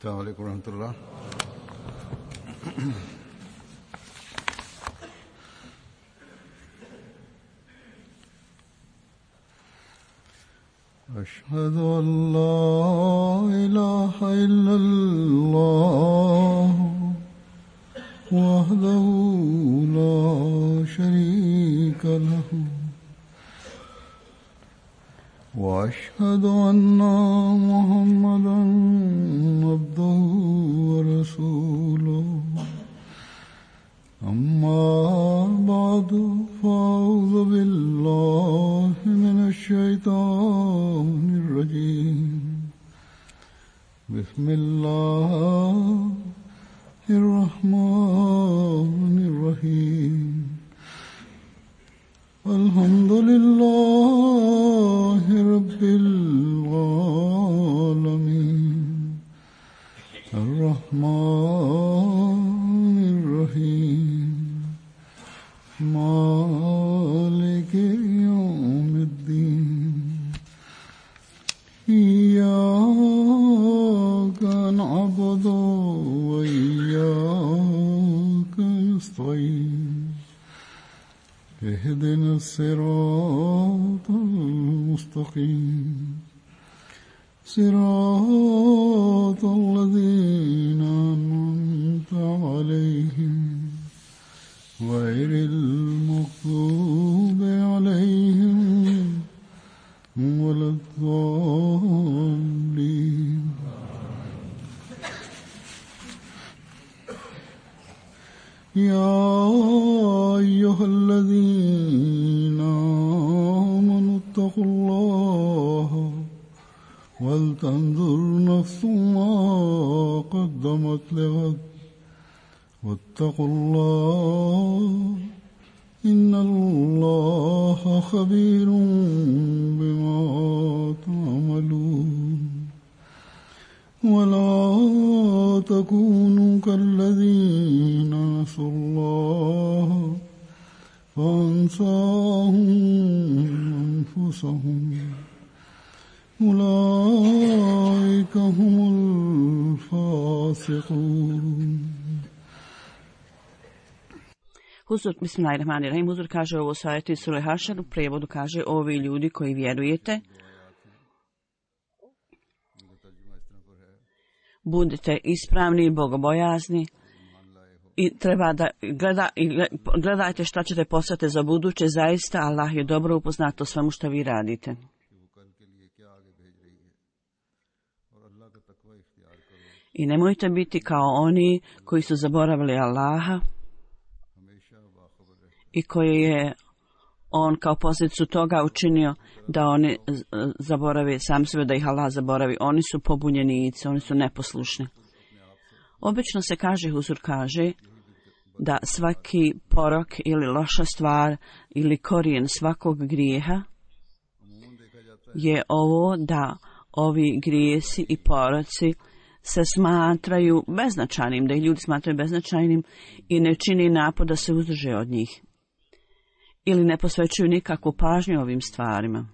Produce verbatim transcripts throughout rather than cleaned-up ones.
السلام عليكم ورحمة الله. أشهد أن لا إله إلا الله وحده لا شريك له وأشهد أن محمدا عبده ورسوله أما بعد فأعوذ بالله من الشيطان الرجيم بسم الله الرحمن الرحيم الحمد لله رب العالمين الرحمن الرحيم مالك يوم الدين إياك نعبد وإياك نستعين اهدنا الصراط المستقيم صراط الذين أنعمت عليهم غير المغضوب عليهم ولا الضالين. يا أيها الذين آمنوا اتقوا الله ولتنظر نفس ما قدمت لغد واتقوا الله إن الله خبير بما تعملون. ولا تكونوا كالذين نسوا الله فأنساهم أنفسهم أولئك هم الفاسقون. Huzur, bismillahirrahmanirrahim, Huzur kaže ovo sajeti iz Sure Hašar, u prijevodu kaže ovi ljudi koji vjerujete, budite ispravni i bogobojazni i treba da gleda, gledajte šta ćete postati za buduće, zaista Allah je dobro upoznat o svemu što vi radite. I nemojte biti kao oni koji su zaboravili Allaha i koji je on kao posljedicu toga učinio da oni zaborave sam sebe, da ih Allah zaboravi. Oni su pobunjenici, oni su neposlušni. Obično se kaže, Huzur kaže, da svaki porok ili loša stvar ili korijen svakog grijeha je ovo da ovi grijesi i poroci se smatraju beznačajnim, da ih ljudi smatraju beznačajnim i ne čini napor da se uzdrže od njih ili ne posvećuju nikakvu pažnju ovim stvarima.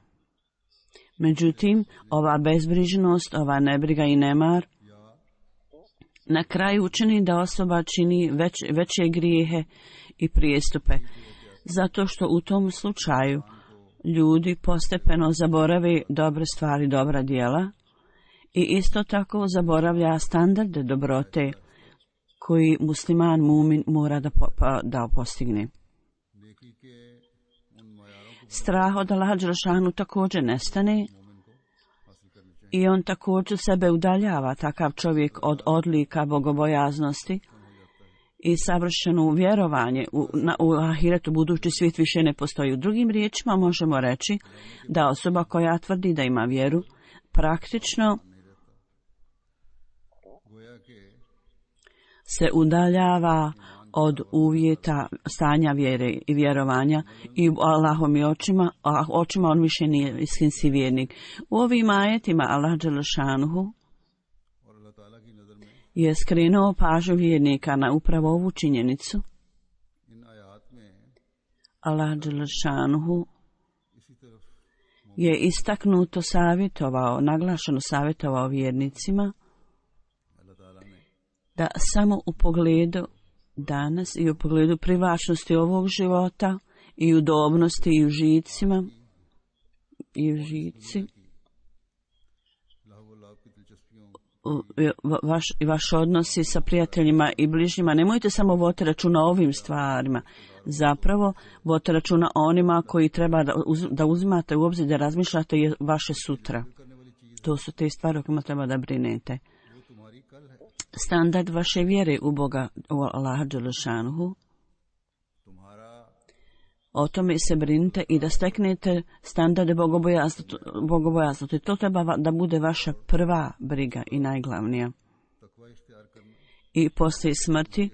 Međutim, ova bezbrižnost, ova nebriga i nemar na kraju učini da osoba čini već, veće grijehe i prijestupe, zato što u tom slučaju ljudi postepeno zaborave dobre stvari, dobra djela i isto tako zaboravlja standarde dobrote koji musliman, mumin mora da, po, da postigne. Strah od Allaha dželešanu također nestane i on također sebe udaljava, takav čovjek, od odlika bogobojaznosti i savršeno vjerovanje u, na, u ahiretu, budući svijet više ne postoji. U drugim riječima možemo reći da osoba koja tvrdi da ima vjeru praktično se udaljava od uvjeta stanja vjere i vjerovanja i u Allahovim očima, a očima on više nije istinski vjernik. U ovim ajetima Allah dželešanuhu je skrenuo pažnju vjernika na upravo ovu činjenicu. Allah dželešanuhu je istaknuto savjetovao, naglašeno savjetovao vjernicima da samo u pogledu danas i u pogledu privlačnosti ovog života i udobnosti i u žicima i u žici vaš, i vaš odnosi sa prijateljima i bližnjima, nemojte samo voditi računa o ovim stvarima, zapravo vodite računa o onima koji treba da, uz, da uzimate u obzir, da razmišljate je vaše sutra. To su te stvari o kojima treba da brinete. Standard vaše vjere u Boga, u Allaha Đelešanuhu, o tome se brinite i da steknete standarde bogobojaznosti. To treba da bude vaša prva briga i najglavnija. I poslije smrti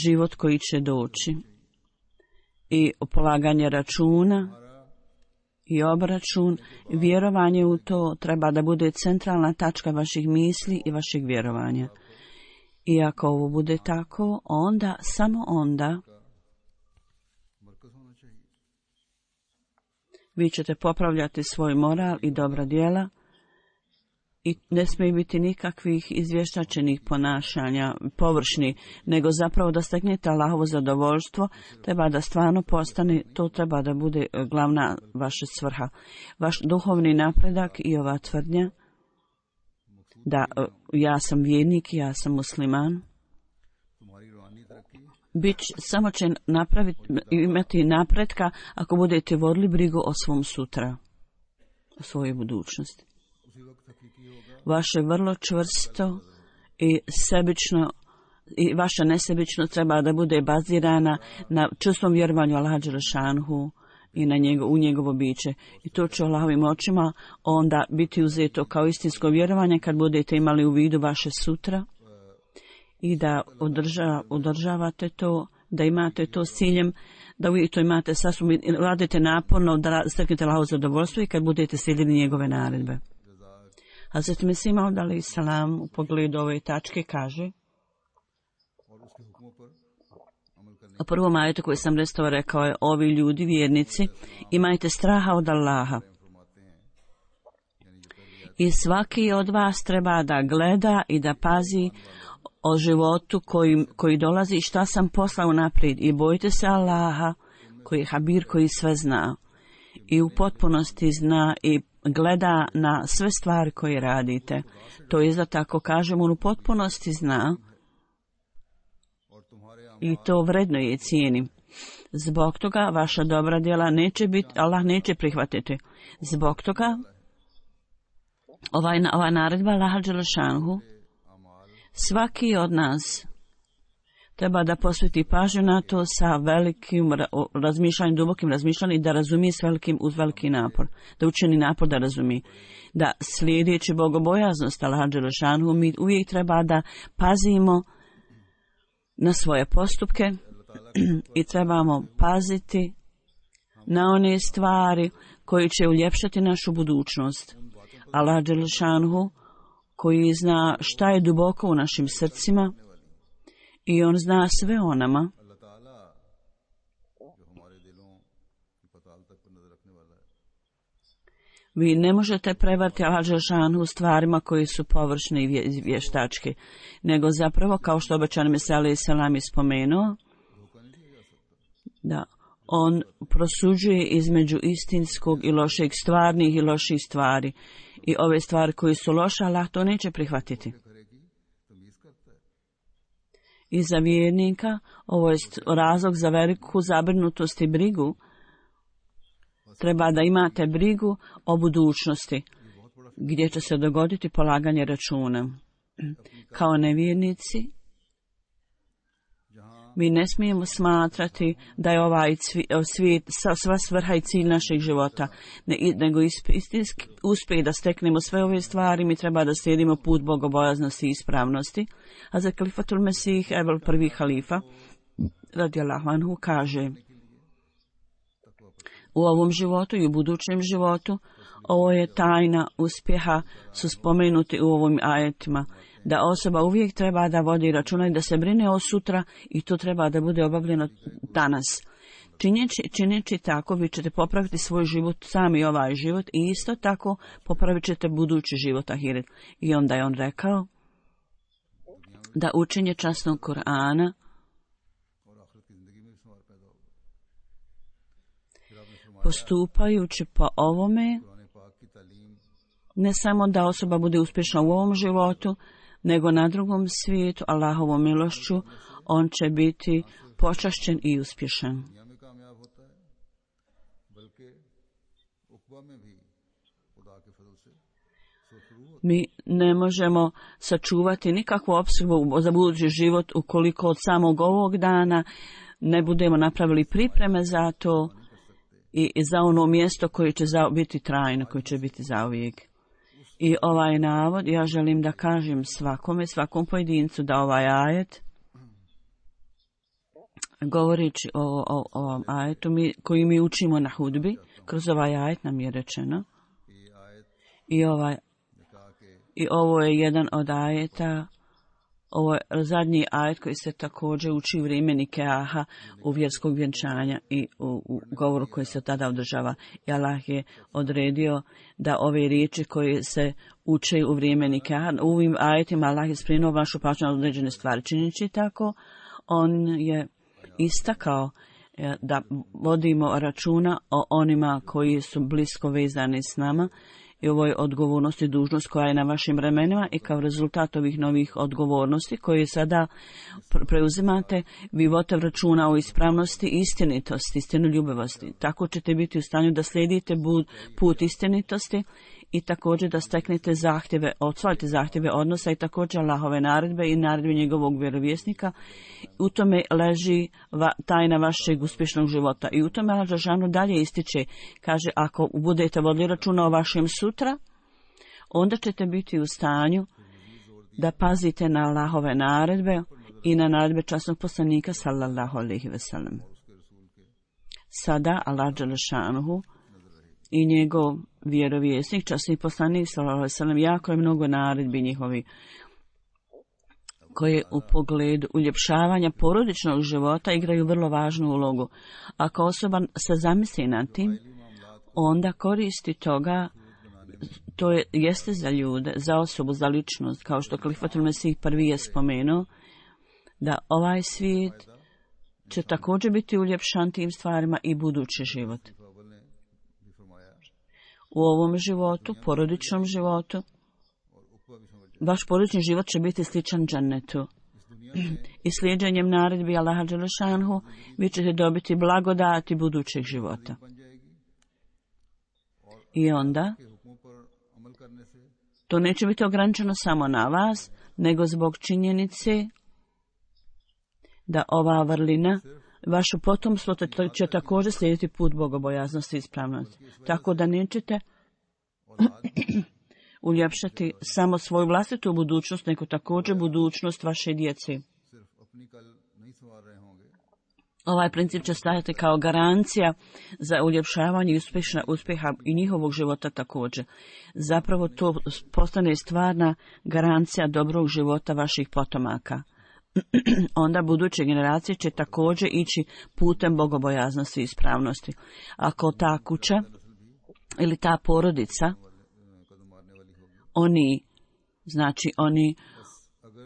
život koji će doći. I polaganje računa i obračun, vjerovanje u to treba da bude centralna tačka vaših misli i vašeg vjerovanja. I ako ovo bude tako, onda, samo onda, vi ćete popravljati svoj moral i dobra djela i ne smije biti nikakvih izvještačenih ponašanja, površni, nego zapravo da steknete Allahovo zadovoljstvo, treba da stvarno postane, to treba da bude glavna vaša svrha. Vaš duhovni napredak i ova tvrdnja da ja sam vjernik, ja sam musliman, Bić, samo će napraviti, imati napretka ako budete vodili brigu o svom sutra, o svojoj budućnosti. Vaše vrlo čvrsto i sebično i vaša nesebično treba da bude bazirana na čvrstom vjerovanju Allaha Đelešanuhu i na njego, u njegovo biće. I to će Allahovim očima onda biti uzeto kao istinsko vjerovanje kad budete imali u vidu vaše sutra i da održa, održavate to, da imate to s ciljem, da uvijek to imate sasvim, radite naporno da steknete Allahovo zadovoljstvo i kad budete slijedili njegove naredbe. Hazret Mesih Maud alejhi selam u pogledu ove tačke kaže, u prvom ajetu koji sam restao rekao je, ovi ljudi, vjernici, imajte straha od Allaha. I svaki od vas treba da gleda i da pazi o životu koji, koji dolazi i šta sam poslao naprijed. I bojite se Allaha, koji je Habir, koji sve zna. I u potpunosti zna i gleda na sve stvari koje radite. To je da tako kažem, on u potpunosti zna i to vredno je cijeni. Zbog toga vaša dobra djela neće biti, Allah neće prihvatiti. Zbog toga ovaj, ova naredba Allaha Đelešanuhu, svaki od nas treba da posveti pažnju na to sa velikim razmišljanjem, dubokim razmišljanjem i da razumije s velikim, uz veliki napor. Da učini napor da razumije. Da slijedeći bogobojaznost Allaha Đelešanuhu, mi uvijek treba da pazimo na svoje postupke i trebamo paziti na one stvari koji će uljepšati našu budućnost. Allah Đelešanuhu, koji zna šta je duboko u našim srcima i on zna sve o nama. Vi ne možete prevariti Allah Đelešanuhu stvarima koji su površne i vještačke, nego zapravo, kao što obećani Mesih alejhi selam spomenuo, da on prosuđuje između istinskog i lošeg, stvarnih i loših stvari. I ove stvari koji su loše, Allah to neće prihvatiti. I za vjernika ovo je razlog za veliku zabrinutost i brigu. Treba da imate brigu o budućnosti, gdje će se dogoditi polaganje računa. Kao nevjernici, mi ne smijemo smatrati da je ovaj svijet sva svrha i cilj našeg života, nego istinski uspjeh da steknemo sve ove stvari, mi treba da slijedimo put bogobojaznosti i ispravnosti. A za Kalifatul Mesih, Ebel prvi halifa, radijallahu anhu, kaže, u ovom životu i u budućem životu, ovo je tajna uspjeha, su spomenuti u ovim ajetima, da osoba uvijek treba da vodi računa i da se brine o sutra i to treba da bude obavljeno danas. Činjeći, činjeći tako, vi ćete popraviti svoj život, sami ovaj život i isto tako popravit ćete budući život ahiret. I onda je on rekao, da učenje časnog Kur'ana postupajući po ovome, ne samo da osoba bude uspješna u ovom životu, nego na drugom svijetu, Allahovom milošću, on će biti počašćen i uspješan. Mi ne možemo sačuvati nikakvu opskrbu za budući život ukoliko od samog ovog dana ne budemo napravili pripreme za to i za ono mjesto koje će biti trajno, koje će biti zauvijek. I ovaj navod, ja želim da kažem svakome, svakom pojedincu da ovaj ajet, govorići o, o, o ovom ajetu mi, koji mi učimo na hudbi, kroz ovaj ajet nam je rečeno, i, ovaj, i ovo je jedan od ajeta, ovo je zadnji ajet koji se također uči u vrijeme Nikaha, u vjerskog vjenčanja i u, u govoru koji se tada održava. I Allah je odredio da ove riječi koje se uče u vrijeme Nikaha, u ovim ajetima Allah je sprinuo vašu pažnju na određene stvari. Činjeći tako, on je istakao da vodimo računa o onima koji su blisko vezani s nama, i ovo je odgovornost i dužnost koja je na vašim ramenima, i kao rezultat ovih novih odgovornosti koje sada preuzimate, vi vodite računa o ispravnosti i istinitosti, istinoljubivosti. Tako ćete biti u stanju da slijedite put istinitosti i također da steknete zahtjeve, odsvojite zahtjeve odnosa i također Allahove naredbe i naredbe njegovog vjerovjesnika. U tome leži va, tajna vašeg uspješnog života. I u tome Allah dželešanu dalje ističe, kaže, ako budete vodili računa o vašem sutra, onda ćete biti u stanju da pazite na Allahove naredbe i na naredbe časnog poslanika sallallahu alejhi ve sellem. Sada Allah dželešanu i njegov vjerovjesnik, časni poslanik sallallahu alejhi ve sellem, jako je mnogo naredbi njihovi koje u pogledu uljepšavanja porodičnog života igraju vrlo važnu ulogu. Ako osoba se zamisli nad tim, onda koristi toga, to je, jeste za ljude, za osobu, za ličnost, kao što Kalifatul Mesih prvi je spomenuo, da ovaj svijet će također biti uljepšan tim stvarima i budući život. U ovom životu, porodičnom životu, vaš porodični život će biti sličan džennetu. I slijedženjem naredbi Allaha dželešanhu vi ćete dobiti blagodati budućeg života. I onda to neće biti ograničeno samo na vas, nego zbog činjenice da ova vrlina, vaše potomstvo će također slijediti put bogobojaznosti i ispravnosti. Tako da nećete uljepšati samo svoju vlastitu budućnost, nego također budućnost vaše djece. Ovaj princip će stajati kao garancija za uljepšavanje i uspjeha i njihovog života također. Zapravo to postane stvarna garancija dobrog života vaših potomaka. Onda buduće generacije će također ići putem bogobojaznosti i ispravnosti. Ako ta kuća ili ta porodica, oni, znači oni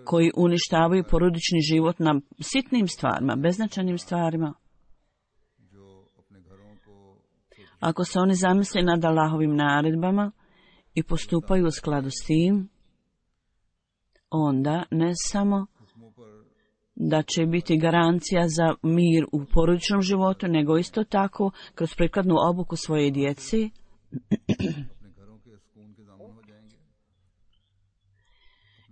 koji uništavaju porodični život na sitnim stvarima, beznačajnim stvarima, ako se oni zamisle nad Allahovim naredbama i postupaju u skladu s tim, onda ne samo da će biti garancija za mir u porodičnom životu, nego isto tako kroz prikladnu obuku svoje djece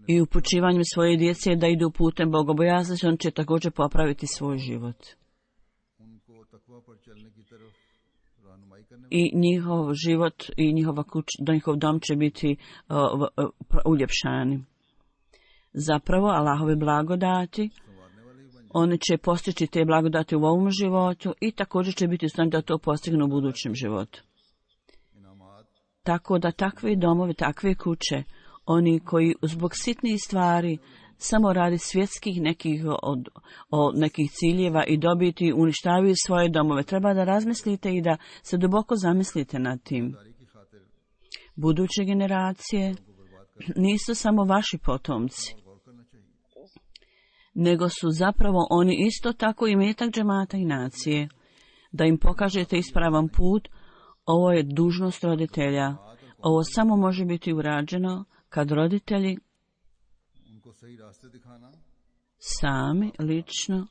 i upućivanjem svoje djece da idu putem bogobojaznosti, on će također popraviti svoj život. I njihov život i njihova kuća, njihov dom će biti uh, uh, uljepšani. Zapravo, Allahove blagodati, oni će postići te blagodati u ovom životu i također će biti u stanju da to postignu u budućem životu. Tako da takve domovi, takve kuće, oni koji zbog sitnih stvari samo radi svjetskih nekih, od, od nekih ciljeva i dobiti, uništavaju svoje domove, treba da razmislite i da se duboko zamislite nad tim. Buduće generacije nisu samo vaši potomci. nego su zapravo oni isto tako i metak džemata i nacije. Da im pokažete ispravan put, ovo je dužnost roditelja. Ovo samo može biti urađeno kad roditelji sami, lično,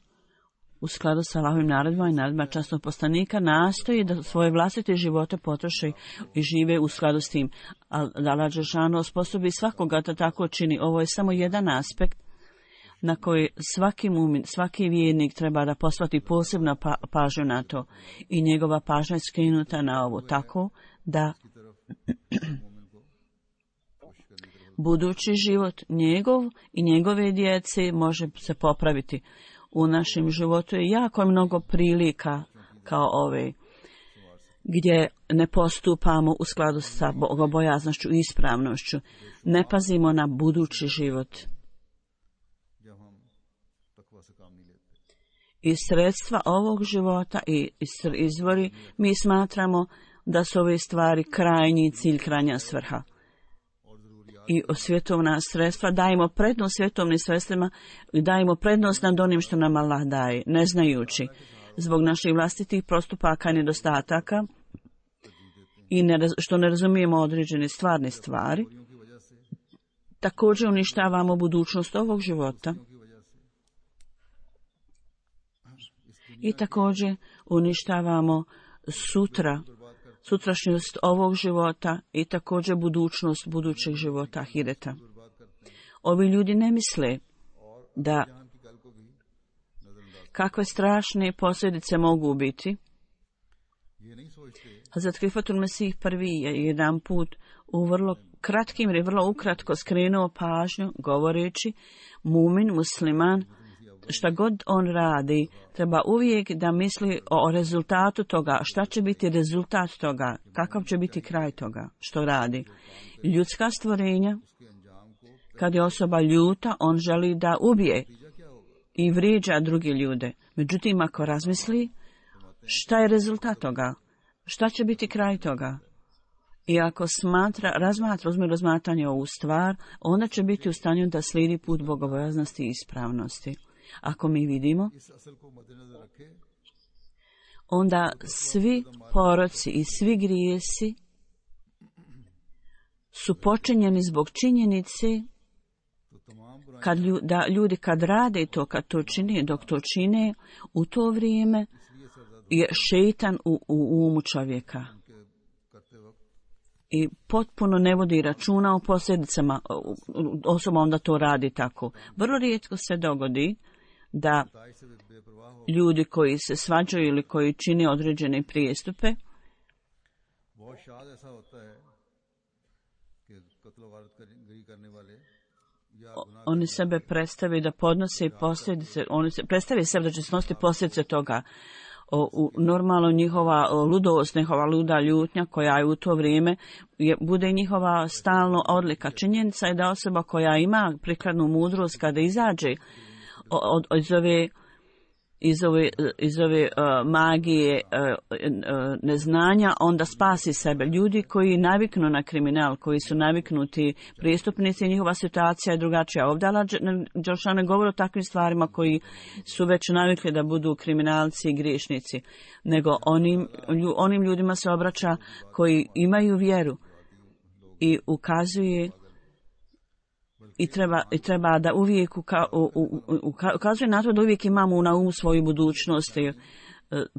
u skladu sa Allahovim naredbama i naredbama časnog poslanika, nastoji da svoje vlastite živote potroše i žive u skladu s tim. A da Allah dželešanu osposobi svakoga da tako čini. Ovo je samo jedan aspekt na koji svaki mumin, svaki vjernik treba da posvati posebno pa, pažnju na to. I njegova pažnja je skrenuta na ovo tako da budući život njegov i njegove djece može se popraviti. U našem životu je jako mnogo prilika kao ove, gdje ne postupamo u skladu sa bogobojaznošću i ispravnošću. Ne pazimo na budući život. I sredstva ovog života i izvori mi smatramo da su ove stvari krajnji cilj, krajnja svrha. I svjetovna sredstva, dajemo prednost svjetovnim sredstvima i dajemo prednost nad onim što nam Allah daje, ne znajući, zbog naših vlastitih postupaka i nedostataka i ne, što ne razumijemo određene stvarne stvari, također uništavamo budućnost ovog života i također uništavamo sutra sutrašnjost ovog života i također budućnost budućeg života ahireta. Ovi ljudi ne misle da kakve strašne posljedice mogu biti. Hazrat Krifatul Mesih prvi je jedan put u vrlo kratkim ili vrlo ukratko skrenuo pažnju govoreći mumin, musliman, šta god on radi, treba uvijek da misli o rezultatu toga, šta će biti rezultat toga, kakav će biti kraj toga, što radi. Ljudska stvorenja, kad je osoba ljuta, on želi da ubije i vrijeđa druge ljude. Međutim, ako razmisli, šta je rezultat toga, šta će biti kraj toga, i ako smatra, razmatra, uzme razmatranje ovu stvar, onda će biti u stanju da slijedi put bogobojaznosti i ispravnosti. Ako mi vidimo, onda svi poroci i svi grijesi su počinjeni zbog činjenice kad lju, da ljudi kad rade to, kad to čine, dok to čine, u to vrijeme je šeitan u, u umu čovjeka. I potpuno ne vodi računa o posljedicama, osoba onda to radi tako. Vrlo rijetko se dogodi da ljudi koji se svađaju ili koji čine određene prijestupe oni sebe predstave da podnose posljedice, oni se predstave sebe da će snositi posljedice toga. O, u normalno njihova ludost, njihova luda ljutnja koja je u to vrijeme je, bude njihova stalno odlika. Činjenica je da osoba koja ima prikladnu mudrost kada izađe od, od, iz ove, iz ove, iz ove uh, magije uh, uh, neznanja, onda spasi sebe. Ljudi koji naviknu na kriminal, koji su naviknuti prijestupnici, njihova situacija je drugačija. Ovdje Allah dželešanu ne govori o takvim stvarima koji su već navikli da budu kriminalci i griješnici, nego onim, onim ljudima se obraća koji imaju vjeru i ukazuje I treba, i treba da uvijek uka, u, u, u, ukazuje na to da uvijek imamo na umu svoju budućnost i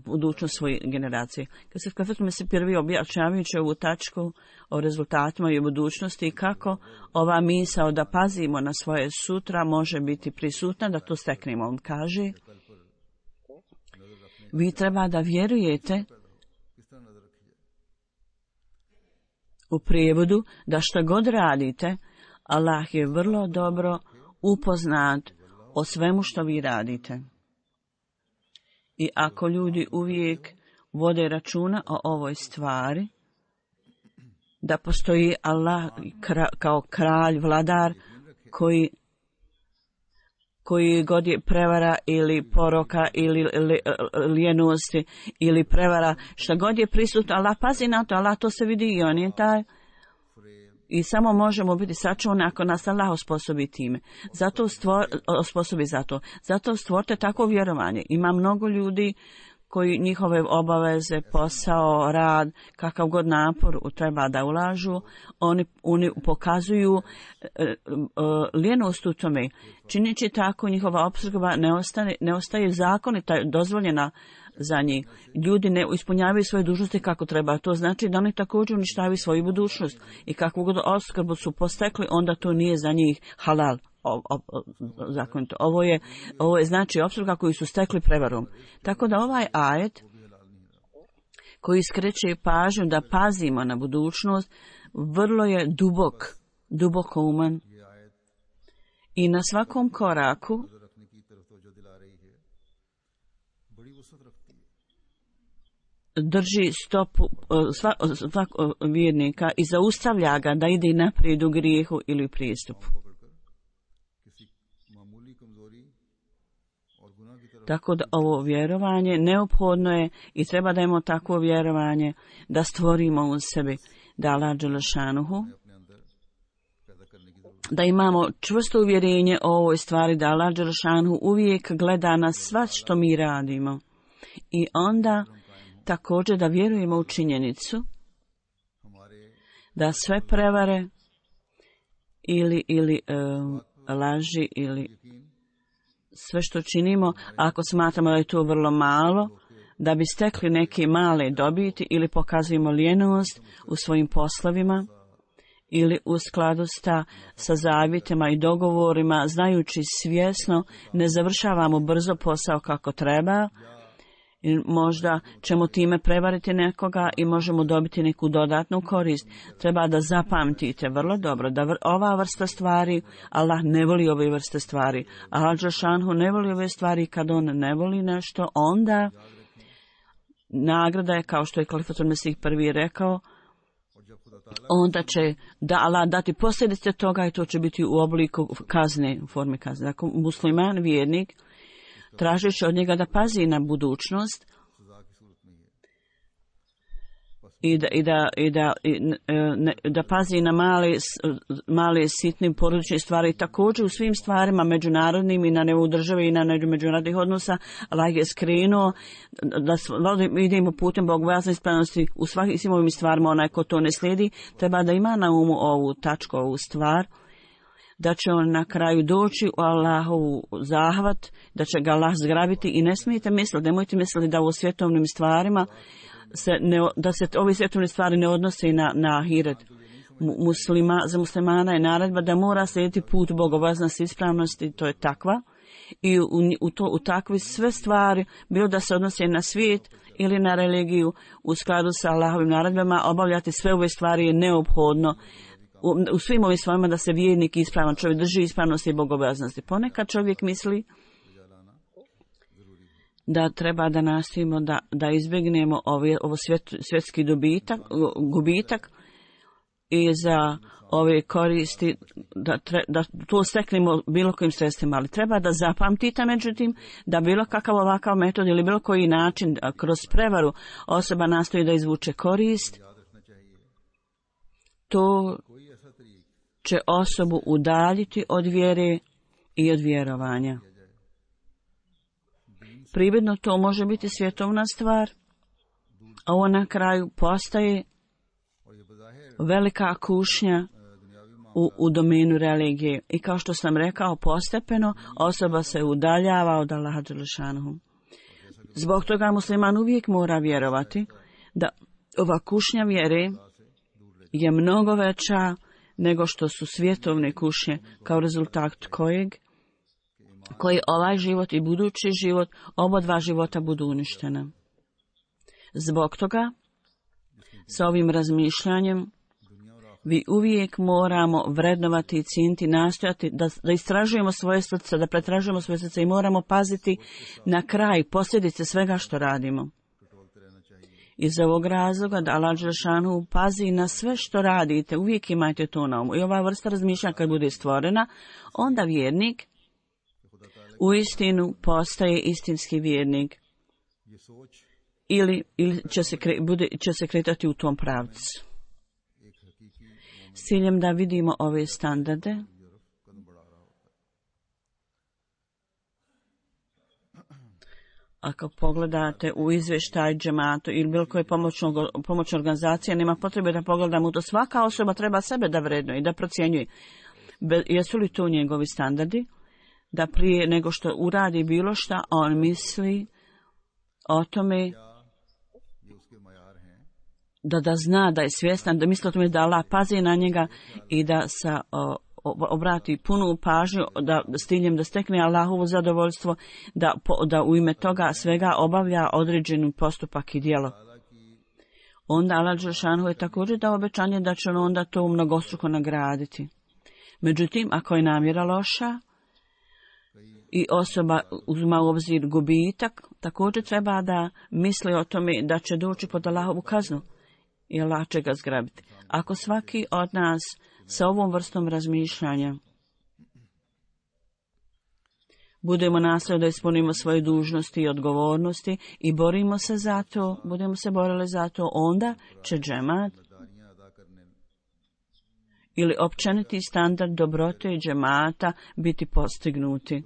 budućnost svoje generacije. Kad se Krifatul Mesih prvi objašnjavajući ovu tačku o rezultatima i o budućnosti i kako ova misao da pazimo na svoje sutra može biti prisutna, da to steknemo. On kaže, vi treba da vjerujete u prijevodu da što god radite, Allah je vrlo dobro upoznat o svemu što vi radite. I ako ljudi uvijek vode računa o ovoj stvari, da postoji Allah kao kralj, vladar, koji, koji god je prevara ili poroka ili lijenosti ili prevara, šta god je prisutno, Allah pazi na to, Allah to se vidi i on je taj I samo možemo biti sačuvani ako nas Allah osposobi time. Zato stvor, osposobi za to. Zato stvorite takvo vjerovanje. Ima mnogo ljudi koji njihove obaveze, posao, rad, kakav god napor treba da ulažu, oni, oni pokazuju e, e, lijenost u tome. Činići tako, njihova opskrba ne, ostane, ne ostaje zakonita, dozvoljena za njih. Ljudi ne ispunjavaju svoje dužnosti kako treba. To znači da oni također uništavaju svoju budućnost. I kakvu god opskrbu su postekli, onda to nije za njih halal. O, o, o, zakonito. Ovo je, ovo je znači opskrba koju su stekli prevarom. Tako da ovaj ajet koji skreće pažnju da pazimo na budućnost vrlo je dubok, duboko uman i na svakom koraku drži stopu svakog vjernika i zaustavlja ga da ide naprijed u grijehu ili u prijestupu. Tako da ovo vjerovanje neophodno je i treba da imamo takvo vjerovanje da stvorimo u sebi da Allah dželešanuhu, da imamo čvrsto uvjerenje o ovoj stvari da Allah dželešanuhu uvijek gleda na sva što mi radimo. I onda također da vjerujemo u činjenicu da sve prevare ili, ili um, laži ili sve što činimo, ako smatramo da je to vrlo malo, da bi stekli neke male dobiti ili pokazujemo lijenost u svojim poslovima ili u skladu sta, sa zavjetima i dogovorima, znajući svjesno ne završavamo brzo posao kako treba, i možda ćemo time prevariti nekoga i možemo dobiti neku dodatnu korist. Treba da zapamtite vrlo dobro da vr- ova vrsta stvari, Allah ne voli ove vrste stvari. Allah dželešanuhu ne voli ove stvari. Kad on ne voli nešto, onda nagrada je, kao što je Kalifatul Mesih prvi rekao, onda će da Allah dati posljedice toga i to će biti u obliku kazne, u formi kazne. Dakle, musliman, vjernik, tražeći od njega da pazi na budućnost i da, i da, i da, i, ne, da pazi na male, male sitne porodične stvari, također u svim stvarima međunarodnim i na nivou države i na međunarodnih odnosa. Allah je skrenuo da idemo putem bogobojazne ispravnosti u svim ovim stvarima. Onaj ko to ne slijedi treba da ima na umu ovu tačku, ovu stvar, da će on na kraju doći u Allahovu zahvat, da će ga Allah zgrabiti i ne smijete misliti, nemojte misliti da u svjetovnim stvarima se ne, da se ove svjetovne stvari ne odnose na, na ahiret. Muslima, za muslimana je naredba da mora slijediti put bogobojaznosti ispravnosti, to je takva. I u, u, to, u takvi sve stvari, bilo da se odnose na svijet ili na religiju, u skladu sa Allahovim naredbama, obavljati sve ove stvari je neophodno. U, u svim ovim stvarima da se vjernik ispravan čovjek drži ispravnosti i bogobojaznosti. Ponekad čovjek misli da treba da nastojimo da, da izbjegnemo ovaj, ovo svjet, svjetski dobitak, gubitak i za ove koristi da, tre, da to steknemo bilo kojim sredstvima, ali treba da zapamtite međutim da bilo kakav ovakav metod ili bilo koji način kroz prevaru osoba nastoji da izvuče korist, to će osobu udaljiti od vjere i od vjerovanja. Prividno to može biti svjetovna stvar, a ovo na kraju postaje velika kušnja u, u domenu religije. I kao što sam rekao, postepeno osoba se udaljava od Allaha dželešanuhu. Zbog toga musliman uvijek mora vjerovati da ova kušnja vjere je mnogo veća nego što su svjetovne kušnje, kao rezultat kojeg koji ovaj život i budući život, oba dva života budu uništena. Zbog toga, sa ovim razmišljanjem, vi uvijek moramo vrednovati i cijeniti, nastojati da, da istražujemo svoje srce, da pretražujemo svoje srce i moramo paziti na kraj posljedice svega što radimo. Iz ovog razloga da Allah dželešanuhu pazi na sve što radite, uvijek imajte to na umu. I ova vrsta razmišljanja kad bude stvorena, onda vjernik u istinu postaje istinski vjernik. Ili, ili će, se kre, bude, će se kretati u tom pravcu. s ciljem da vidimo ove standarde. Ako pogledate u izvještaj džematu ili bilo koje pomoćne organizacije, nema potrebe da pogledamo to. Svaka osoba treba sebe da vrednuje i da procjenjuje. Be, jesu li to njegovi standardi? Da prije nego što uradi bilo šta, on misli o tome da da zna, da je svjestan, da misli o tome da Allah pazi na njega i da sa o, obrati punu pažnju da s ciljem da stekne Allahovo zadovoljstvo, da, da u ime toga svega obavlja određeni postupak i djelo. Onda Allah dželešanu je također dao obećanje da će on onda to mnogostruko nagraditi. Međutim, ako je namjera loša i osoba uzma u obzir gubitak, također treba da misli o tome da će doći pod Allahovu kaznu i Allah će ga zgrabiti. Ako svaki od nas sa ovom vrstom razmišljanja budemo nastojali da ispunimo svoje dužnosti i odgovornosti i borimo se za to, budemo se borili za to, onda će džemat ili općeniti standard dobrote i džemata biti postignuti.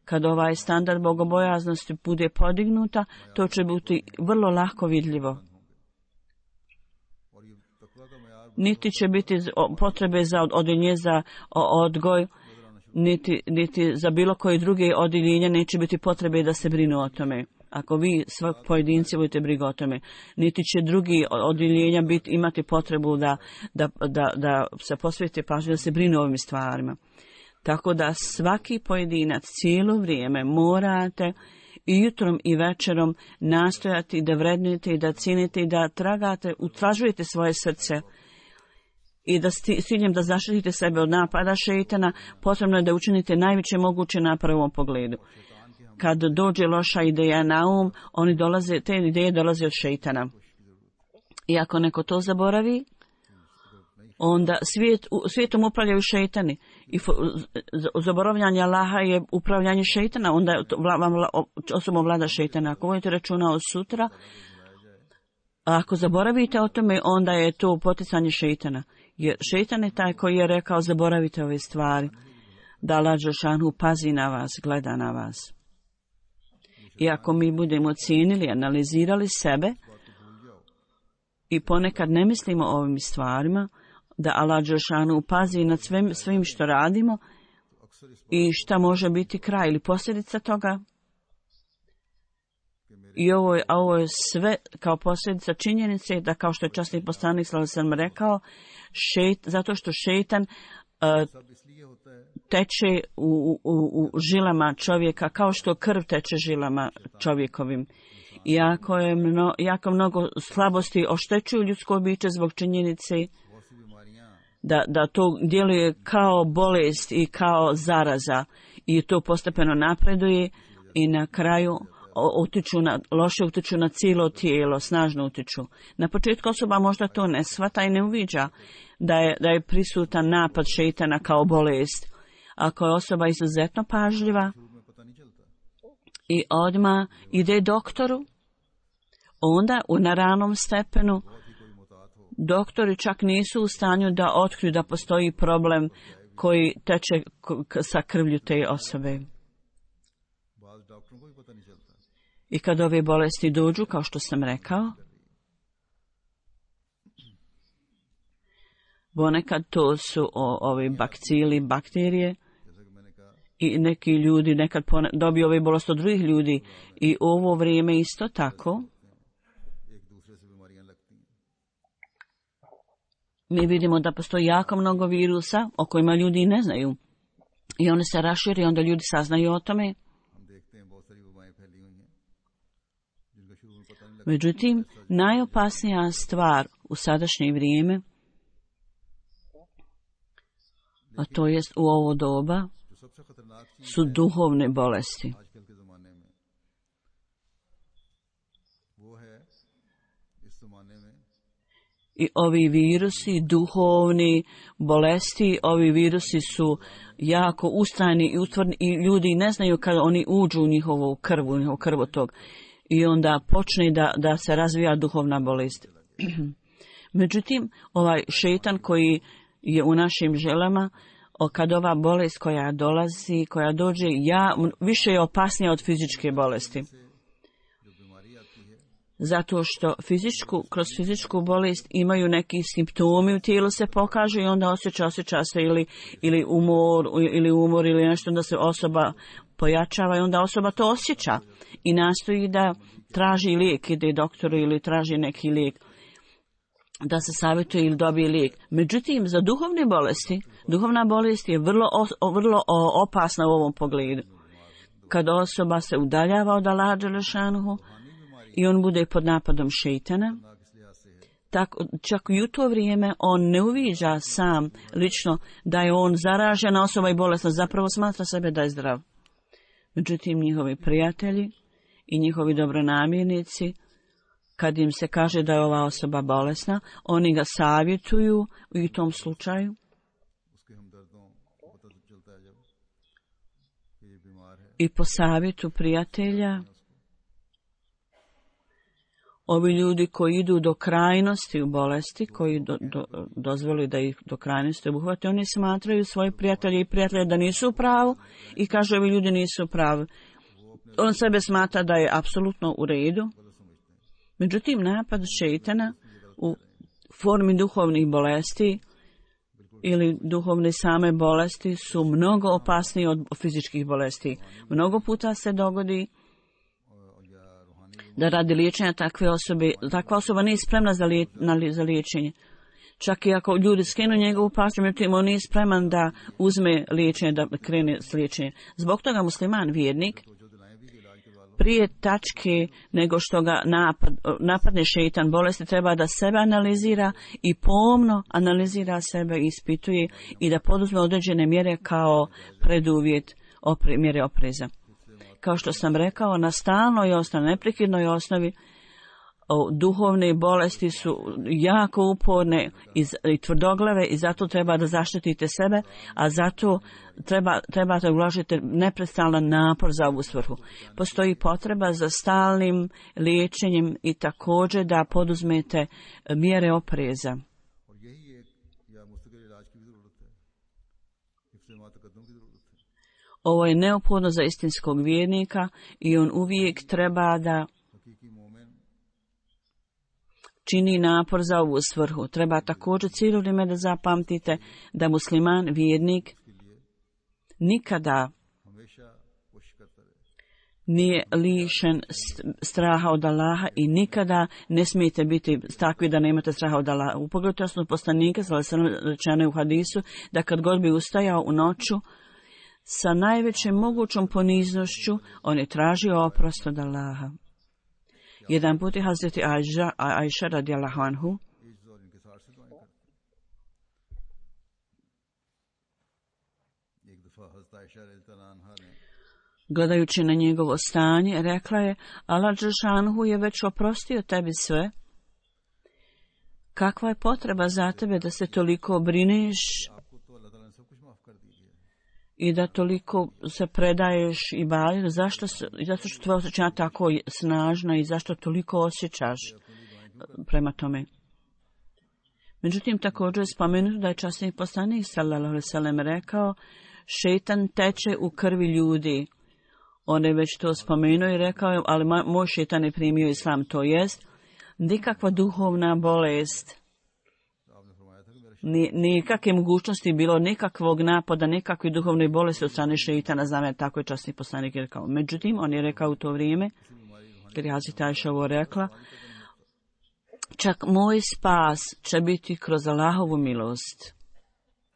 Kad ovaj standard bogobojaznosti bude podignuta, to će biti vrlo lako vidljivo. Niti će biti potrebe za odjeljenje za odgoj, niti, niti za bilo koje druge odjeljenja neće biti potrebe da se brinu o tome. Ako vi svak pojedinci budete brigu o tome, niti će drugi odjeljenja biti, imati potrebu da, da, da, da se posvete pažnju da se brinu o ovim stvarima. Tako da svaki pojedinac cijelo vrijeme morate i jutrom i večerom nastojati da vrednujete i da cijenite i da tragate, utražujete svoje srce i da s ciljem da zaštitite sebe od napada šejtana, potrebno je da učinite najveće moguće napore u ovom pogledu. Kad dođe loša ideja na um, oni dolaze, te ideje dolaze od šejtana. I ako neko to zaboravi, onda svijet, svijetom upravljaju šejtani. I zaboravljanje Allaha je upravljanje šejtana, onda vam osobom vlada šejtana. Ako vodite računa od sutra, ako zaboravite o tome, onda je to poticanje šejtana. Jer šejtan je taj koji je rekao zaboravite ove stvari, da Allah dželešanu pazi na vas, gleda na vas. I ako mi budemo cijenili, analizirali sebe i ponekad ne mislimo o ovim stvarima, da Allah dželešanu pazi nad svim, svim što radimo i šta može biti kraj ili posljedica toga. I ovo je, ovo je sve kao posljedica činjenice da, kao što je časni poslanik sallallahu alejhi ve sellem rekao, šeit, zato što šejtan uh, teče u, u, u žilama čovjeka kao što krv teče žilama čovjekovim. Iako je mno, jako mnogo slabosti oštećuju ljudsko biće zbog činjenice da, da to djeluje kao bolest i kao zaraza i to postepeno napreduje i na kraju utiču na, loše utiču na cijelo tijelo, snažno utiču. Na početku osoba možda to ne shvata i ne uviđa da je, da je prisutan napad šejtana kao bolest. Ako je osoba izuzetno pažljiva i odmah ide doktoru, onda u na ranom stepenu doktori čak nisu u stanju da otkriju da postoji problem koji teče sa krvlju te osobe. I kad ove bolesti dođu, kao što sam rekao, ponekad to su o, ovi bakcili, bakterije i neki ljudi nekad pone, dobiju ove bolesti od drugih ljudi i u ovo vrijeme isto tako. Mi vidimo da postoji jako mnogo virusa o kojima ljudi ne znaju i one se raširi, onda ljudi saznaju o tome. Međutim, najopasnija stvar u sadašnje vrijeme, a to jest u ovo doba, su duhovne bolesti. I ovi virusi, duhovni bolesti, ovi virusi su jako ustrajni i utvrdni i ljudi ne znaju kada oni uđu u njihovu krvu, u njihovu krvotok. I onda počne da, da se razvija duhovna bolest. Međutim, ovaj šeitan koji je u našim želama, kad ova bolest koja dolazi, koja dođe, ja, više je opasnija od fizičke bolesti. Zato što fizičku, kroz fizičku bolest imaju neki simptomi u tijelu se pokažu i onda osjeća, osjeća se ili, ili umor, ili umor ili nešto, da se osoba pojačava i onda osoba to osjeća i nastoji da traži lijek, ide doktoru ili traži neki lijek, da se savjetuje ili dobije lijek. Međutim, za duhovne bolesti, duhovna bolest je vrlo, vrlo opasna u ovom pogledu. Kad osoba se udaljava od Allaha dželešanuhu i on bude pod napadom šejtana, tako, čak i u to vrijeme on ne uviđa sam lično da je on zaražena osoba i bolesna, zapravo smatra sebe da je zdrav. Međutim, njihovi prijatelji i njihovi dobronamjernici, kad im se kaže da je ova osoba bolesna, oni ga savjetuju u tom slučaju. I po savjetu prijatelja, ovi ljudi koji idu do krajnosti u bolesti, koji do, do, dozvoli da ih do krajnosti obuhvate, oni smatraju svoje prijatelje i prijatelje da nisu u pravu i kažu ovi ljudi nisu u pravu. On sebe smatra da je apsolutno u redu. Međutim, napad šejtana u formi duhovnih bolesti ili duhovne same bolesti su mnogo opasniji od fizičkih bolesti. Mnogo puta se dogodi da radi liječenja takve osobe, takva osoba nije spremna za, lije, na, za liječenje. Čak i ako ljudi skinu njegovu pažnju, međutim, on nije spreman da uzme liječenje, da krene s liječenjem. Zbog toga musliman vjernik prije tačke nego što ga napad, napadne šeitan bolesti treba da sebe analizira i pomno analizira sebe i ispituje i da poduzme određene mjere kao preduvjet opre, mjere opreza. Kao što sam rekao, na stalnoj osnovi, neprekidnoj osnovi, duhovne bolesti su jako uporne i tvrdoglave i zato treba da zaštitite sebe, a zato treba, trebate uložiti neprestalan napor za ovu svrhu. Postoji potreba za stalnim liječenjem i također da poduzmete mjere opreza. Ovo je neophodno za istinskog vjernika i on uvijek treba da čini napor za ovu svrhu. Treba također cijelo vrijeme da zapamtite da musliman vjernik nikada nije lišen straha od Allaha i nikada ne smijete biti takvi da nemate straha od Allaha. U pogledu osnovnog poslanika, rečeno u hadisu, da kad god bi ustajao u noću sa najvećem mogućom poniznošću, on je tražio oprost od Allaha. Jedan put je Hazreti Ajša, Ajša radijallahu anhu gledajući na njegovo stanje, rekla je: Allah dželešanohu je već oprostio tebi sve. Kakva je potreba za tebe da se toliko brineš i da toliko se predaješ i baviš? Zašto, zato što tvoja osjećanja tako snažna i zašto toliko osjećaš prema tome. Međutim, također je spomenuto da je časni poslanik sallallahu alejhi ve sellem rekao: šejtan teče u krvi ljudi. On je već to spomenuo i rekao, ali moj šejtan je primio islam, to jest nikakva duhovna bolest, nikakve mogućnosti bilo, nikakvog napada, nikakve duhovne bolesti od strane šejtana, znam, tako je časni poslanik rekao. Međutim, on je rekao u to vrijeme, kad je Hazreti Ajša ovo rekla, čak moj spas će biti kroz Allahovu milost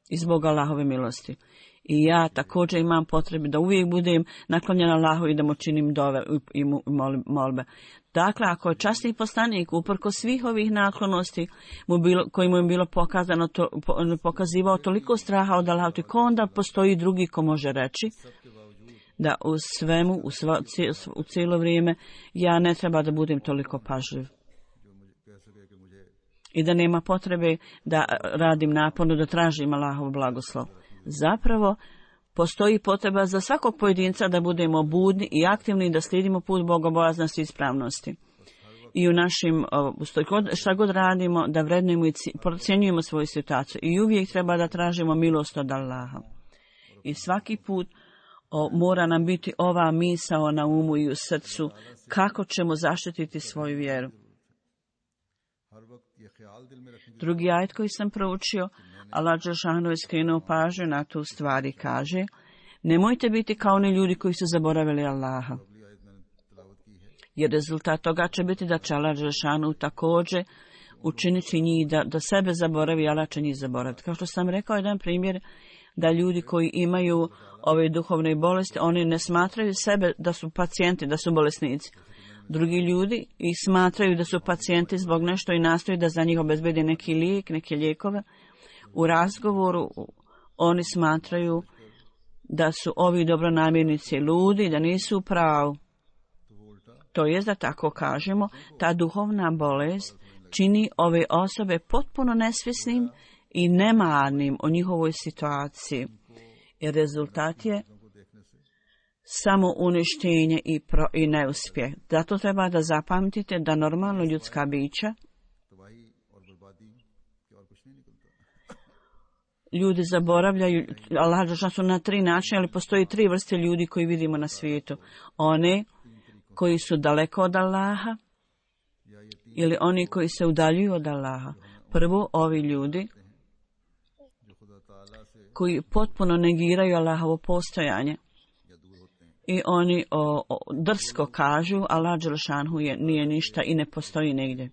i zbog Allahove milosti. I ja također imam potrebu da uvijek budem naklonjena Allahu i da mu činim dove i molbe. Dakle, ako je časni poslanik uprko svih ovih naklonosti mu bilo, koji mu je bilo pokazano, to, pokazivao toliko straha od Allaha, ko onda postoji drugi ko može reći da u svemu, u, sva, u cijelo vrijeme ja ne treba da budem toliko pažljiv i da nema potrebe da radim naporno, da tražim Allahov blagoslov. Zapravo, postoji potreba za svakog pojedinca da budemo budni i aktivni i da slijedimo put bogobojaznosti i ispravnosti. i u našim, šta god radimo, da vrednujemo i procjenjujemo svoju situaciju. I uvijek treba da tražimo milost od Allaha. I svaki put o, mora nam biti ova misao na umu i u srcu kako ćemo zaštititi svoju vjeru. Drugi ajet koji sam proučio, Allah dželešanu je skrenuo pažnju na tu stvar i kaže: nemojte biti kao oni ljudi koji su zaboravili Allaha. Jer rezultat toga će biti da će Allah dželešanu također učiniti njih da, da sebe zaboravi, Allah će njih zaboraviti. Kao što sam rekao, jedan primjer da ljudi koji imaju ove duhovne bolesti, oni ne smatraju sebe da su pacijenti, da su bolesnici. Drugi ljudi ih smatraju da su pacijenti zbog nešto i nastoji da za njih obezbedi neki lijek, neke lijekove. U razgovoru oni smatraju da su ovi dobronamjernici ludi, da nisu u pravu. To jest da tako kažemo, ta duhovna bolest čini ove osobe potpuno nesvjesnim i nemarnim o njihovoj situaciji. I rezultat je samo uništenje i, pro, i neuspjeh. Zato treba da zapamtite da normalno ljudska bića, ljudi zaboravljaju, Allah su na tri načina, ali postoji tri vrste ljudi koji vidimo na svijetu. One koji su daleko od Allaha ili oni koji se udaljuju od Allaha. Prvo, ovi ljudi koji potpuno negiraju Allahovo postojanje i oni o, o, drsko kažu Allah dželešanu je nije ništa i ne postoji negdje.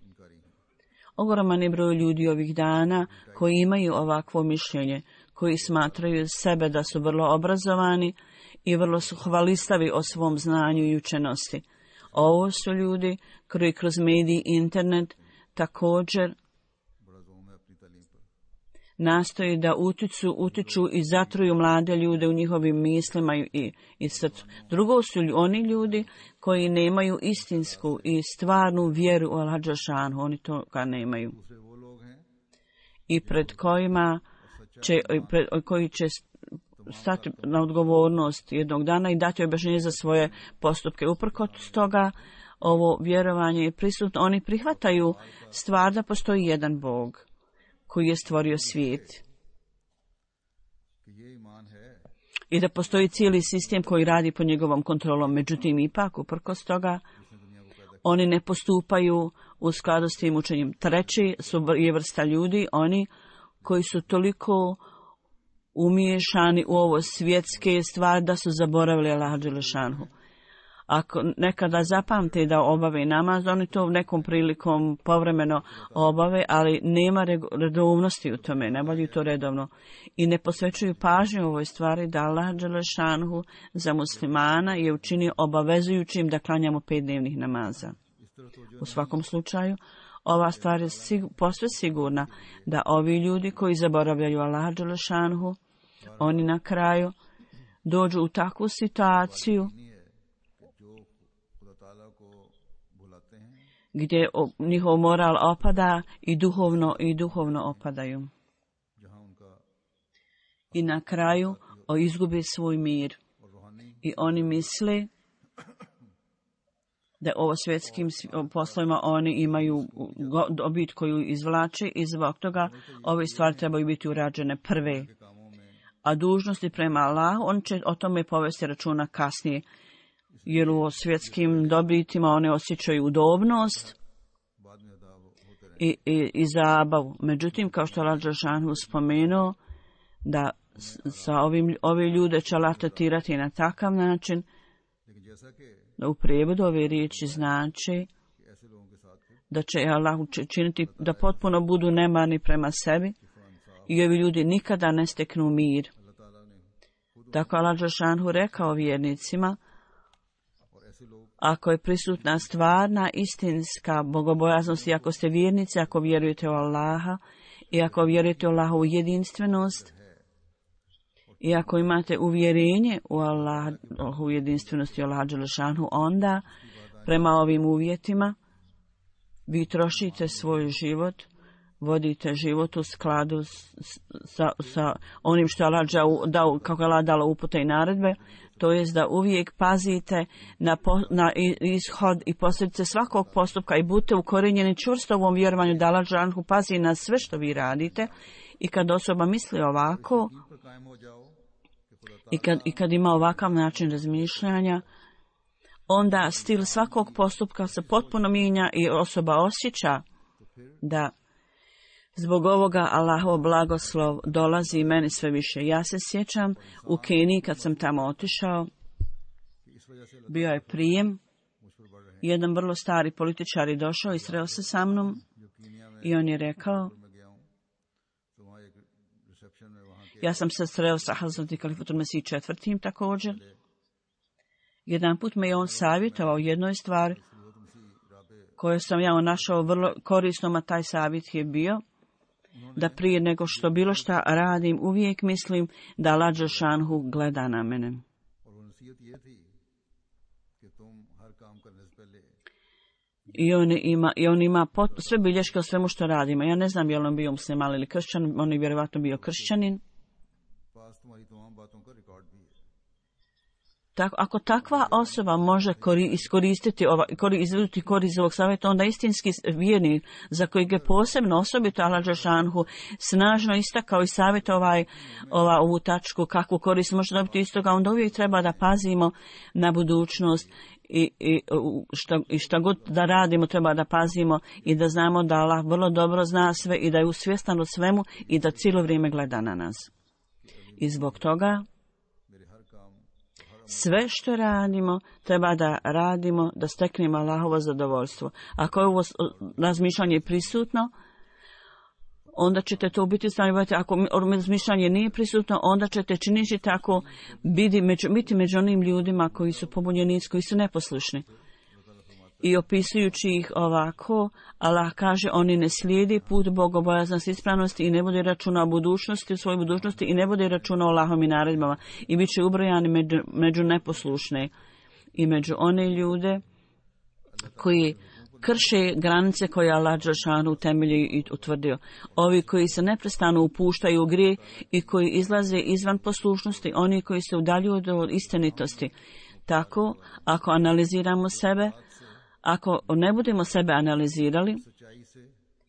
Ogroman je broj ljudi ovih dana koji imaju ovakvo mišljenje, koji smatraju sebe da su vrlo obrazovani i vrlo su hvalistavi o svom znanju i učenosti. Ovo su ljudi koji kroz mediji i internet također nastoji da utiču, utiču i zatruju mlade ljude u njihovim mislima i, i srcu. Drugo su oni ljudi koji nemaju istinsku i stvarnu vjeru u Allah dželešanu, oni toga nemaju. I pred kojima će, pred, koji će stati na odgovornost jednog dana i dati objašnjenje za svoje postupke. Uprkos toga, ovo vjerovanje je prisutno. Oni prihvataju stvar da postoji jedan Bog koji je stvorio svijet i da postoji cijeli sistem koji radi pod njegovom kontrolom. Međutim, ipak, uprkos toga, oni ne postupaju u skladu s tim učenjem. Treći su je vrsta ljudi, oni koji su toliko umiješani u ovo svjetske stvari da su zaboravili Allaha dželešanu. Ako nekada zapamte da obave namaz, oni to nekom prilikom povremeno obave, ali nema redovnosti u tome, ne obavljaju to redovno. I ne posvećuju pažnju ovoj stvari da Allah dželešanu za muslimana je učinio obavezujućim da klanjamo pet dnevnih namaza. U svakom slučaju, ova stvar je sigur, posve sigurna da ovi ljudi koji zaboravljaju Allah dželešanu, oni na kraju dođu u takvu situaciju gdje njihov moral opada i duhovno i duhovno opadaju. I na kraju izgube svoj mir. I oni misle da ovo svjetskim poslovima oni imaju dobit koju izvlače i zbog toga ove stvari trebaju biti urađene prve. A dužnosti prema Allahu, on će o tome povesti računa kasnije. Jer u svjetskim dobitima one osjećaju udobnost i, i, i zabavu. Međutim, kao što Allah dželešanu spomenuo, da sa ovim, ove ljude će Allah tretirati na takav način, da u prijevodu ove riječi znači da će Allah učiniti da potpuno budu nemarni prema sebi i ovi ljudi nikada ne steknu mir. Tako Allah dželešanu rekao vjernicima, ako je prisutna stvarna, istinska bogobojaznost i ako ste vjernici, ako vjerujete u Allaha i ako vjerujete u Allahovu jedinstvenost i ako imate uvjerenje u Allahovu jedinstvenost i Allaha dželešanu, onda prema ovim uvjetima vi trošite svoj život vodite život u skladu s, sa, sa onim što je Allah dao, kako je Allah dala upute i naredbe, to jest da uvijek pazite na, po, na ishod i posljedice svakog postupka i budete ukorenjeni čvrsto u ovom vjerovanju da Allah dželalehu pazi na sve što vi radite. I kad osoba misli ovako i kad, i kad ima ovakav način razmišljanja, onda stil svakog postupka se potpuno mijenja i osoba osjeća da zbog ovoga Allahov blagoslov dolazi meni sve više. Ja se sjećam u Keniji kad sam tamo otišao, bio je prijem, jedan vrlo stari političar je došao i sreo se sa mnom i on je rekao, ja sam se sreo sa Hazreti Kalifatul Mesih četvrtim također. Jedan put me je on savjetovao jednoj stvari koju sam ja našao vrlo korisnom, a taj savjet je bio da prije nego što bilo šta radim, uvijek mislim da Allah dželalehu gleda na mene. I on ima, i on ima pot, sve bilješke o svemu što radimo. Ja ne znam je li on bio musliman ili kršćan, on je vjerovatno bio kršćanin. Tako, ako takva osoba može kori, iskoristiti, ova, kori, izvoditi korist ovog savjeta, onda istinski vjernik za kojeg je posebno osobito Allah dželalehu snažno istakao i savjet ovaj, ova, ovu tačku, kakvu korist može dobiti iz toga, onda uvijek treba da pazimo na budućnost i, i, šta, i šta god da radimo treba da pazimo i da znamo da Allah vrlo dobro zna sve i da je usvjestan o svemu i da cijelo vrijeme gleda na nas. I zbog toga sve što radimo, treba da radimo, da steknemo Allahovo zadovoljstvo. Ako je ovo razmišljanje prisutno, onda ćete to biti stavljati. Ako razmišljanje nije prisutno, onda ćete činiti tako biti među, biti među onim ljudima koji su pobunjeni, koji su neposlušni. I opisujući ih ovako, Allah kaže, oni ne slijedi put bogobojaznosti, ispravnosti i ne bude računa o budućnosti, u svojoj budućnosti i ne bude računa o Allahovim naredbama i bit će ubrojani među, među neposlušne i među one ljude koji krše granice koje Allah dželalehu temelji i utvrdio. Ovi koji se neprestano upuštaju u grije i koji izlaze izvan poslušnosti, oni koji se udaljuju od istinitosti. Tako, ako analiziramo sebe, ako ne budemo sebe analizirali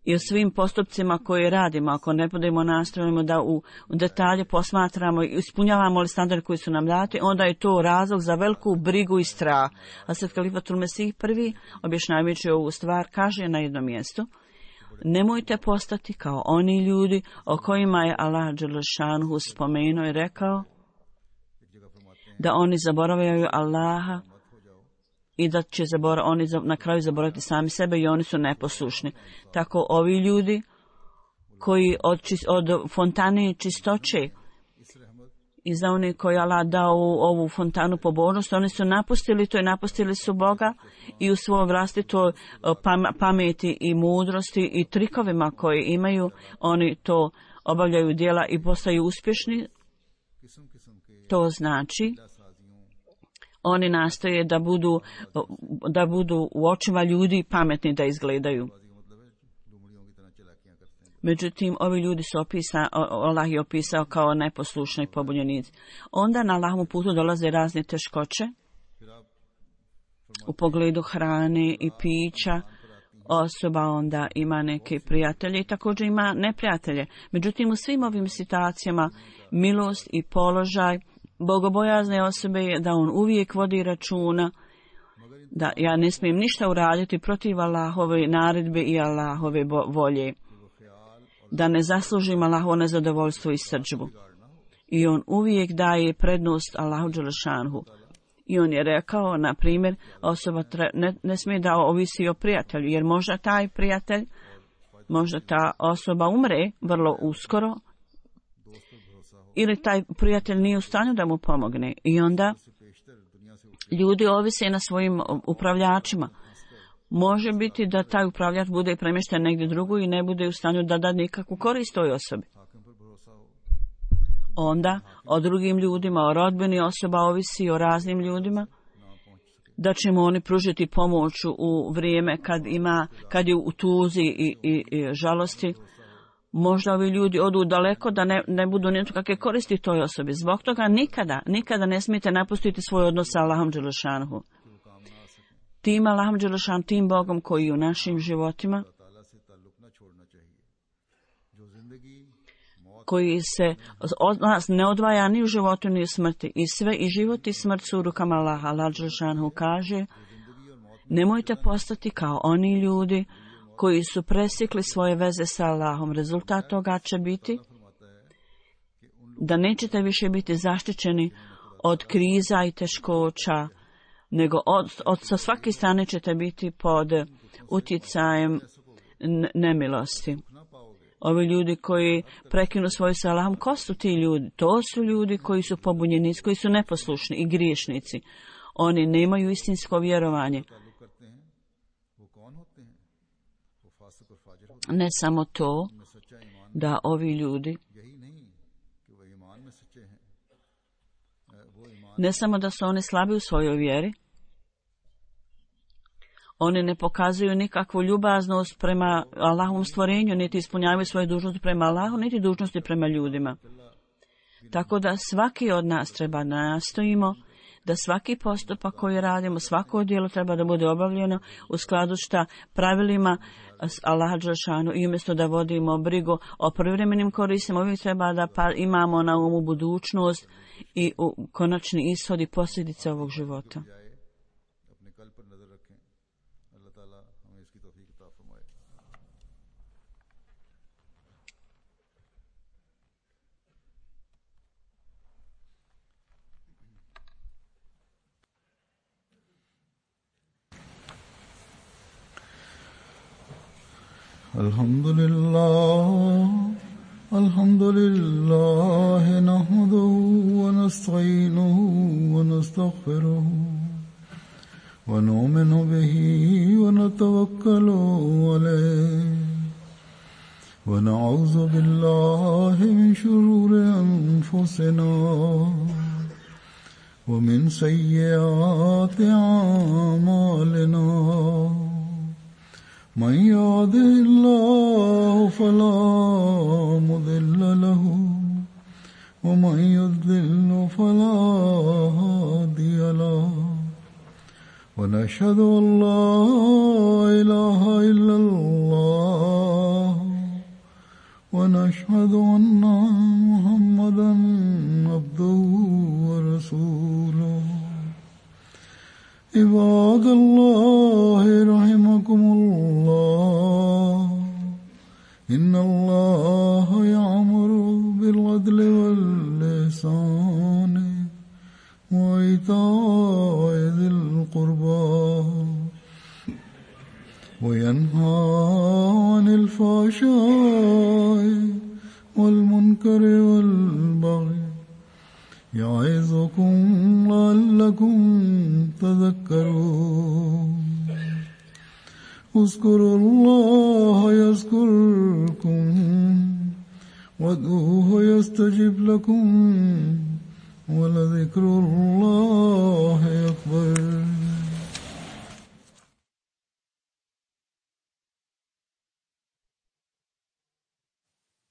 i o svim postupcima koje radimo, ako ne budemo nastrojimo da u, u detalje posmatramo i ispunjavamo li standard koji su nam dati, onda je to razlog za veliku brigu i strah. A sad Kalifatul Mesih prvi, objašnjavajući ovu stvar, kaže na jednom mjestu, nemojte postati kao oni ljudi o kojima je Allah dželalehu spomenuo i rekao da oni zaboravljaju Allaha i da će zabora, oni na kraju zaboraviti sami sebe i oni su neposlušni. Tako ovi ljudi koji od, čist, od fontane čistoće i za oni koji Allah dao u ovu fontanu pobožnost, oni su napustili to i napustili su Boga i u svojoj vlastitoj pameti i mudrosti i trikovima koje imaju, oni to obavljaju djela i postaju uspješni. To znači oni nastoje da budu, da budu u očima ljudi pametni da izgledaju. Međutim, ovi ljudi su opisani, Allah je opisao kao neposlušni pobunjenici. Onda na Allahovom putu dolaze razne teškoće u pogledu hrane i pića. Osoba onda ima neke prijatelje i također ima neprijatelje. Međutim, u svim ovim situacijama milost i položaj bogobojazne osobe je da on uvijek vodi računa da ja ne smijem ništa uraditi protiv Allahove naredbe i Allahove volje, da ne zaslužim Allahovo nezadovoljstvo i srdžbu. I on uvijek daje prednost Allahu dželalehu. I on je rekao, na primjer, osoba tre, ne, ne smije da ovisi o prijatelju, jer možda taj prijatelj, možda ta osoba umre vrlo uskoro, ili taj prijatelj nije u stanju da mu pomogne. I onda ljudi ovise na svojim upravljačima. Može biti da taj upravljač bude premješten negdje drugo i ne bude u stanju da da nikakvu korist toj osobi. Onda o drugim ljudima, o rodbini osoba ovisi o raznim ljudima, da će mu oni pružiti pomoć u vrijeme kad ima, kad je u tuzi i, i, i žalosti. možda ovi ljudi odu daleko da ne, ne budu nijeto kakve koristi toj osobi. Zbog toga nikada, nikada ne smijete napustiti svoj odnos sa Allahom Đelešanuhu. Tim Allahom Đelešan, tim Bogom koji je u našim životima, koji se od nas ne odvaja ni u životu ni u smrti. I sve i život i smrt su u rukama Allaha. Allah Đelešanu kaže, nemojte postati kao oni ljudi koji su presjekli svoje veze sa Allahom. Rezultat toga će biti da nećete više biti zaštićeni od kriza i teškoća, nego od, od sa svake strane ćete biti pod utjecajem nemilosti. Ovi ljudi koji prekinu svoju sa Allahom, ko su ti ljudi? To su ljudi koji su pobunjeni, koji su neposlušni i griješnici. Oni nemaju istinsko vjerovanje. Ne samo to, da ovi ljudi ne samo da su oni slabi u svojoj vjeri, oni ne pokazuju nikakvu ljubaznost prema Allahovom stvorenju, niti ispunjavaju svoje dužnosti prema Allahu, niti dužnosti prema ljudima. Tako da svaki od nas treba nastojimo da svaki postupak koji radimo, svako djelo treba da bude obavljeno u skladu sa pravilima Allaha Đelešanu i umjesto da vodimo brigu o privremenim koristima, uvijek treba da pa imamo na umu budućnost i u konačni ishod i posljedice ovog života. Alhamdulillah, alhamdulillah, nahmaduhu wa nasta'inuhu wa nastaghfiruhu wa nu'minu bihi wa natawakkalu alayhi wa na'udhu billahi min shururi anfusina wa min sayyiati a'malina. من يهده الله فلا مضل له ومن يضلل فلا هادي له ونشهد أن لا إله إلا الله ونشهد أن محمدا عبده ورسوله. عباد الله رحمكم الله إن الله يأمر بالعدل والإحسان وإيتاء ذي القربى وينهى عن الفحشاء والمنكر والبغي يعظكم لعلكم تذكرون. اذكروا الله يذكركم وادعوه يستجب لكم ولذكر الله أكبر.